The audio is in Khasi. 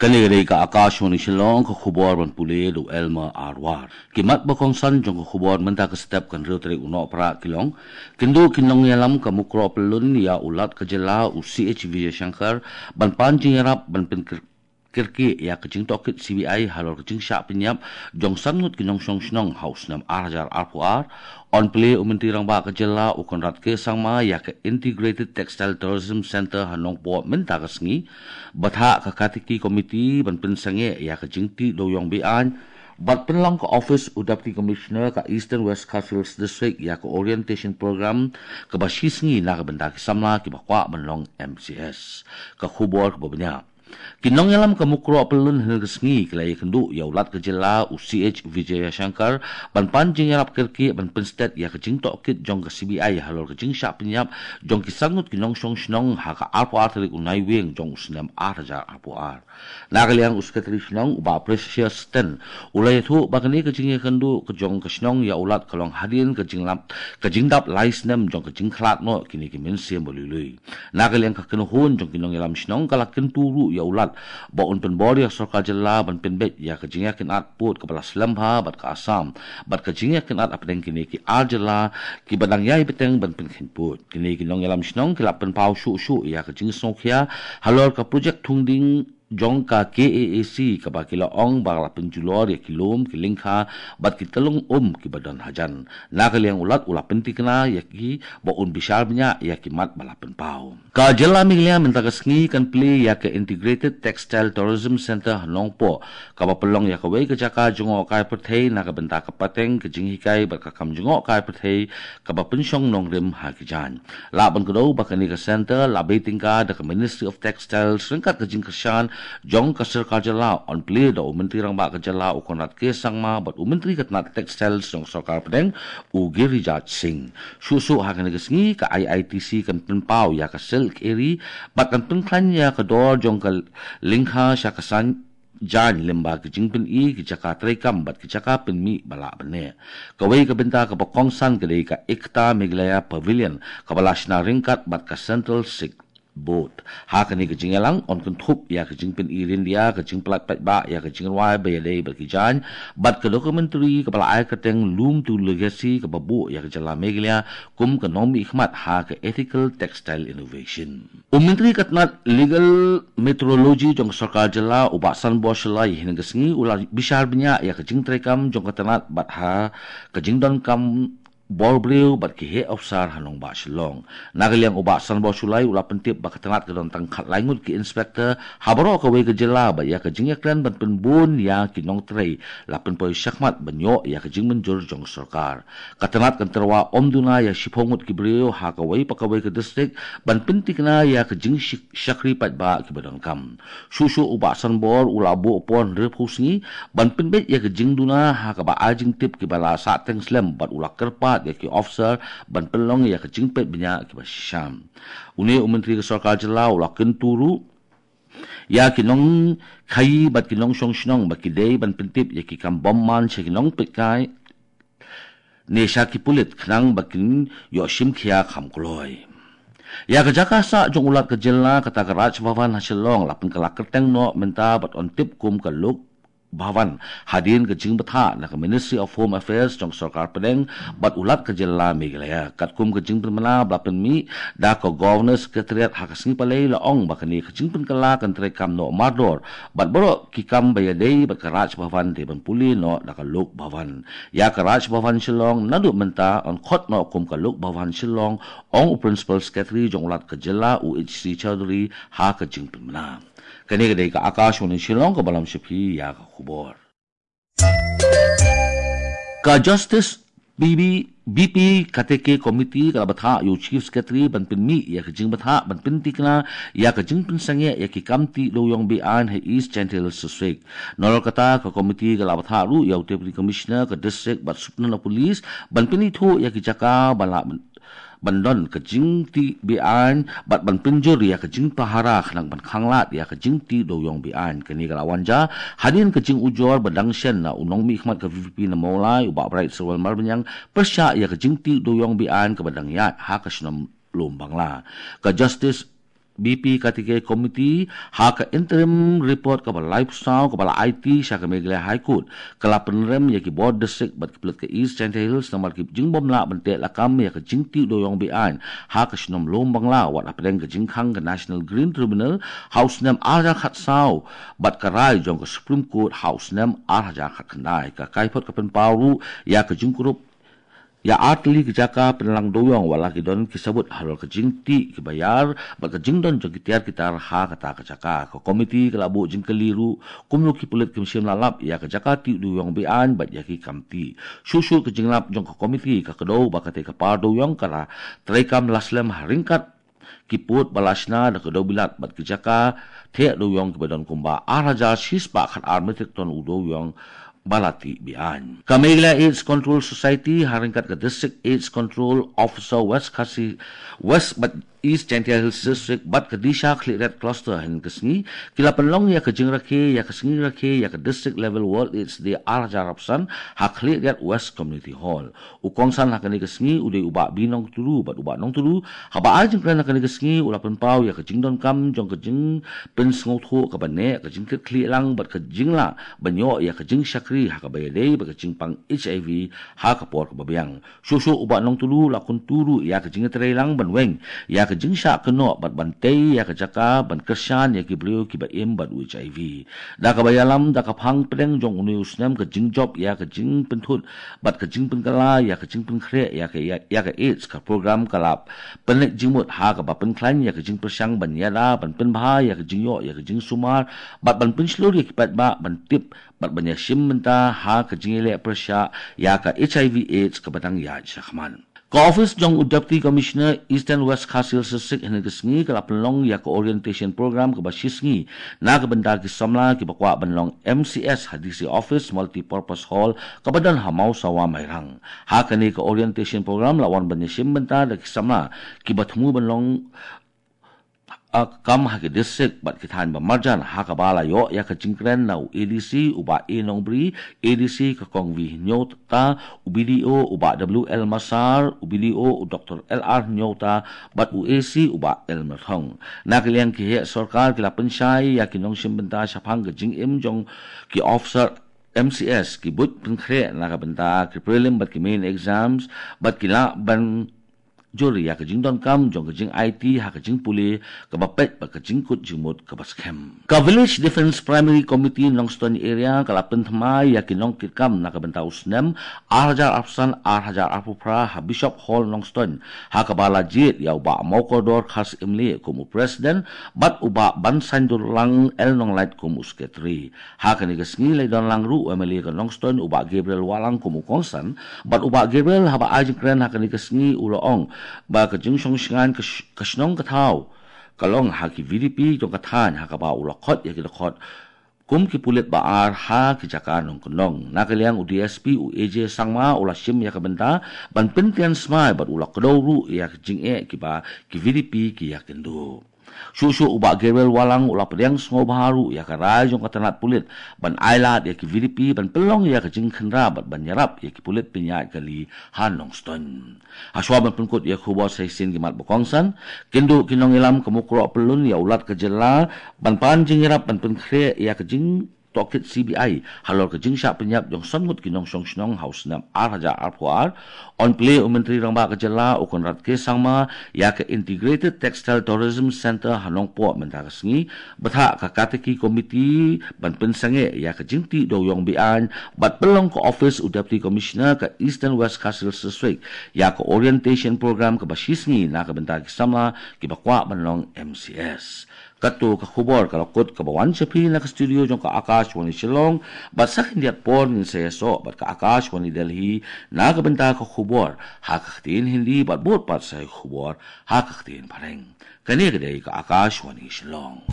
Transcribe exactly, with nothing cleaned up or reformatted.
Kane ka dei ka Akashvani Shillong, ka khubor ban pule da u Elmer Arwar. Ki mat ba kongsan jong ka khubor mynta ka step kan riewtrek u Nohprah ki long. Kynduh ki nongïalam ka Mukroh Pyllun ïa u Lat ka jylla u C H Vijayashankar ban pan jingïarap ban pynkyrkieh ïa ka jingtohkit C B I halor ka jingshah pynïap jong san ngut ki nongshong shnong ha u snem ar hajar arphew ar. Yn plie u Myntri Rangbah ka jylla u Conrad K Sangma ïa ka Integrated Textile Tourism Centre ha Nongpoh mynta ka sngi. Bthah ka Katiki Committee ban pynsangeh ïa ka jingtih dewiong be-aiñ bad pynlong ka office u Deputy Commissioner ka Eastern West Khasi Hills District ïa ka orientation program kaba shi sngi na ka bynta ki samla kiba kwah ban long M C S. Ka khubor kaba bniah. Ki nongïalam ka Mukroh Pyllun hynne ka sngi ki la ïakynduh ïa u Lat ka jylla u C H Vijayashankar ban pan jingïarap kyrkieh ban pynstet ïa ka jingtohkit jong ka C B I halor ka jingshah pynïap jong ki san ngut ki nongshong shnong ha ka arphew ar tarik u Naiwieng jong u snem ar hajar arphew ar. Na ka liang u Secretary Shnong u Bah Precious Ten u la ïathuh ba kane ka jingïakynduh ka jong ka shnong ïa u Lat ka long hadien ka jinglap ka jingdap lai snem jong ka jingkhlad noh kine ki mynsiem ba lui lui. Na ka liang ka kynhun jong ki nongïalam shnong ka la kyntu ruh ïa u Lat ba un pynbor ïa ka sorkar jylla ban pynbeit ïa ka jingïakynad pud kaba la slem bha bad ka Assam bad ka jingïakynad hapdeng kine ki ar jylla kiba dang ïai bteng ban pynkheiñ pud. Kine ki nongïalam shnong ki la pynpaw shuh shuh ïa ka jingsngewkhia halor ka projek thung ding jong ka K A A C kaba ki la ong ba la pynjulor ïa ki lum ki lyngkha bad ki tyllong um kiba don hajan. Na ka liang u Lat u la pyntikna ïa ki ba un bishar bniah ïa ki mat ba la pynpaw. Ka jylla Meghalaya mynta ka sngi kan plie ïa ka Integrated Textile Tourism Centre ha Nongpoh kaba pynlong ïa kawei ka jaka jngohkai pyrthei na ka bynta ka pateng ka jinghikai bad ka kam jngohkai pyrthei kaba pynshong nongrim ha ki jaiñ. Lah ban kdew ba kane ka centre la bei tyngka da ka Ministry of Textiles ryngkat ka jingkyrshan jong ka sorkar jylla. Yn plie da u Myntri Rangbah ka jylla u Conrad K Sangma bad u Myntri ka tnat Textiles jong ka sorkar pdeng u Giriraj Singh. Shuh shuh ha kane ka sngi ka I I T C kan pynpaw ïa ka Silk Eri bad kan pynkhlaiñ ïa ka dor jong ka lyngkha sha ka san jaiñ lyngba ki jingpyni ki jaka treikam bad ki jaka pynmih ba lah ban neh. Kawei ka bynta kaba kongsan ka dei ka Ekta Meghalaya Pavilion kaba la shna ryngkat bad ka Central Sikh Board. Ha kane ka jingïalang yn kynthup ïa ka jingpyni ryndia, ka jingpyllait paidbah ïa ka jingrwai ba ïadei bad ki jaiñ bad ka documentary kaba la ai kyrteng Loom to Legacy kaba buh ïa ka jylla Meghalaya kum ka nongmihkhmat ha ka ethical textile innovation. U Myntri ka tnat Legal Metrology jong ka sorkar jylla u Bah Sanbor Shullai hynne ka sngi u la bishar bniah ïa ka jingtreikam jong ka tnat bad ha ka jingdonkam bor briew bad ki heh opsar ha nongbah Shillong. Na ka liang u Bah Sanbor Shullai u la pyntip ba ka tnat ka don tang khatlai ngut ki inspector ha baroh kawei ka jylla bad ïa ka jingïakren ban pynbun ïa ki nongtrei la pynpoi shakhmat ban ïoh ïa ka jingmynjur jong ka sorkar. Ka tnat kan tyrwa ym duna ïa shiphew ngut ki briew ha kawei pa kawei ka district ban pyntikna ïa ka jingshakri paidbah kiba donkam. Shuh shuh u Bah Sanbor u la buh por hynriewphew sngi ban pynbeit ïa ka jingduna ha kaba ai jingtip kiba la sahteng slem bad u la kyrpad ïa ki officer ban pynlong ïa ka jingpeit bniah kiba shisha. Une u Myntri ka sorkar jylla u la kyntu ruh ïa ki nongkhaïi bad ki nongshong shnong ba ki dei ban pyntip ïa ki kam bymman sha ki nongpeitkai ne sha ki pulit khnang ba kin ïoh shim khia kham kloi. Ïa ka jaka sah jong u Lat ka jylla kata ka Raj Bhavan ha Shillong la pynkylla kyrteng noh mynta bad yn tip kum ka Lok Bhavan hadien ka jingbthah na ka Ministry of Home Affairs jong ka sorkar pdeng bad u Lat ka jylla Meghalaya. Katkum ka jingpynbna ba la pynmih da ka Governor Secretariat ha ka sngi Palei la ong ba kane ka jingpynkylla kan treikam noh mardor bad baroh ki kam ba ïadei bad ka Raj Bhavan dei ban pule noh da ka Lok Bhavan. Ïa ka Raj Bhavan Shillong naduh mynta yn khot noh kum ka Lok Bhavan Shillong, ong u Principal Secretary jong u Lat ka jylla u H C Chaudhary ha ka jingpynbna. Kane ka dei ka Akashvani Shillong kaba lam sha phi ïa ka khubor. Ka Justice B B, B P Kateke Committee ka la bthah ïa u Chief Secretary ban pynmih ïa ka jingbthah ban pyntikna ïa ka jingpynsangeh ïa ki kam tih dewiong be-aiñ ha East Jaintia Hills District. Nalor kata ka committee ka la bthah ruh ïa u Deputy Commissioner ka district bad Superintendent of Police ban pynithuh ïa ki jaka ba lah ban don ka jingtih be-aiñ bad ban pynjur ïa ka jingpahara khnang ban khanglad ïa ka jingtih dewiong be-aiñ. Kane ka la wan jia hadien ka jingujor ba dang shen na u nongmihkhmat ka V P P na Mawlai u Bah Bright Syrwell Marbaniang pyrshah ïa ka jingtih dewiong be-aiñ kaba dang ïaid ha ka shnong Lum Bangla. Ka Justice B P Kartikeya Committee ha ka interim report kaba laiphew saw kaba la aiti sha ka Meghalaya High Court, ka la pynrem ïa ki bor district bad ki pulit ka East Jaintia Hills namar ki jingbym lah ban teh lakam ïa ka jingtih dewïong beaiñ ha ka shnong Lumbangla wat hapdeng ka jingkhang ka National Green Tribunal ha u snem ar hajar khatsaw bad ka rai jong ka Supreme Court ha u snem ar hajar khatkhyndai. Ka kaiphod ka pynpaw ruh ïa ka jingkurup ïa artylli ki jaka pynlang dewïong wat la ki don ki sabut halor ka jingtih kiba ïar bad ka jingdon jong ki tiar ki tar ha kata ka jaka. Ka komiti ka la buh jingkylli ruh kumno ki pulit kim shym la lap ïa ka jaka tih dewïong beaiñ bad ïa ki kam tih. Shuh shuh ka jinglap jong ka komiti ka kdew ba katei ka par dewïong ka la treikam la slem ha ryngkat ki pud ba la shna da ka dewbilat bad ki jaka teh dewïong kiba don kumba ar hajar shispah khatar metric ton u dewïong ba la tih beaiñ. Ka Meghalaya AIDS Control Society ha ryngkat ka District AIDS Control Officer West Khasi West bad East Jaintia Hills District bad ka Disha Khliehriat Cluster hynne ka sngi ki la pynlong ïa ka jingrakhe ïa ka sngi rakhe ïa ka District Level World AIDS Day ar hajar arphew san ha Khliehriat West Community Hall. U kongsan ha kane ka sngi u dei u Bah B Nongtulu bad u Bah Nongtulu haba ai jingkren ha kane ka sngi u la pynpaw ïa ka jingdonkam jong ka jingpynsngewthuh kaba neh, ka jingkitkhlieh lang bad ka jinglah ban ïoh ïa ka jingshakri ha kaba ïadei bad ka jingpang HIV ha ka por kaba biang. Shuh shuh u Bah Nongtulu u la kyntu ruh ïa ka jingïatreilang ban weng ïa ka jingshah kynnoh bad ban tei ïa ka jaka ban kyrshan ïa ki briew kiba im bad u HIV. Da kaba ïalam da ka phang pdeng jong une u snem ka jingjop ïa ka jingpynthut bad ka jingpynkylla ïa ka jingpynkhreh ïa ka ïa, ïa ka AIDS, ka program ka la pynleit jingmut ha kaba pynkhlaiñ ïa ka jingpyrshang ban ïada ban pynbha ïa ka jingïoh ïa ka jingsumar bad ban pynshlur ïa ki paidbah ban tip bad ban ïashim bynta ha ka jingïaleh pyrshah ïa ka HIV AIDS kaba dang ïaid shakhmat. Ka office jong u Deputy Commissioner Eastern West Khasi Hills District hynne ka sngi ka la pynlong ïa ka orientation program kaba shisngi na ka bynta ki samla kiba kwah ban long MCS ha DC Office Multipurpose Hall kaba don ha Mawsawa, Mairang. Ha kane ka orientation program la wan ban ïashim bynta da ki samla kiba thmu ban long, ah, kam ha ki district bad ki thaiñ ba marjan ha kaba la ïoh ïa ka jingkren na u ADC u Bah A Nongbri, ADC ka Kong V Hynñiewta, u BDO u Bah W L Masar, u BDO u Doktor L R Hynñiewta bad u AC u Bah L Myrthong. Na ka liang ki heh sorkar ki la pynshai ïa ki nongshim bynta shaphang ka jingim jong ki officer MCS, ki buit pynkhreh na ka bynta ki prelim bad ki main exams bad ki lah ban jur ïa ka jingdonkam jong ka jing-aiti ha ka jingpule kaba peit bad ka jingkut jingmut kaba skhem. Ka Village Defence Primary Committee Nongstoiñ Area ka la pynthymmai ïa ki nongkitkam na ka bynta u snem ar hajar arphew san ar hajar arphew phra ha Bishop Hall Nongstoiñ ha kaba la jied ïa u Bah Mawkordor Kharsyimlieh kum u president bad u Bah Bansaindulang L Nonglait kum u secretary. Ha kane ka sngi la ïadon lang ruh u MLA ka Nongstoiñ u Bah Gabriel Wahlang kum u kongsan bad u Bah Gabriel haba ai jingkren ha kane ka sngi u la ong ba ka jingshong shngaiñ ka sh-, ka shnong ka thaw ka long ha ki VDP jong ka thaiñ ha kaba u la khot ïa ki dkhot kum ki pulit ba ar ha ki jaka nongkyndong. Na ka liang u DSP u AJ Sangma u la shim ïa ka bynta ban pyntian smai bad u la kdew ruh ïa ka jingeh kiba ki VDP ki ïakynduh. Shuh shuh u Bah Gabriel Wahlang u la pdiang sngewbha ruh ïa ka rai jong ka tnat pulit ban ailad ïa ki VDP ban pynlong ïa ka jingkhynra bad ban ïarap ïa ki pulit pynïaid kali ha Nongstoiñ. Hashwa ban pynkut ïa ka khubor sa shisien ki mat ba kongsan, kin duh ki nongïalam ka Mukroh Pyllun ïa u Lat ka jylla ban pan jingïarap ban pynkhreh ïa ka jing tohkit CBI halor ka jingshah pynïap jong san ngut ki nongshong shnong ha u snem ar hajar arphew ar. Yn plie u Myntri Rangbah ka jylla u Conrad K Sangma ïa ka Integrated Textile Tourism Centre ha Nongpoh mynta ka sngi, bthah ka Katiki Committee ban pynsangeh ïa ka jingtih dewïong beaiñ bad pynlong ka office u Deputy Commissioner ka Eastern West Khasi Hills District ïa ka orientation program kaba shisngi na ka bynta ki samla kiba kwah ban long MCS. Kato ka khubor ka la kut kaba wan sha phi na ka studio jong ka Akashvani Shillong, bad sa khyndiat por ngin sa ïasoh bad ka Akashvani Delhi na ka bynta ka khubor ha ka ktien Hindi bad bud pat sa ïa ka khubor ha ka ktien Phareng. Kane ka dei ka Akashvani Shillong.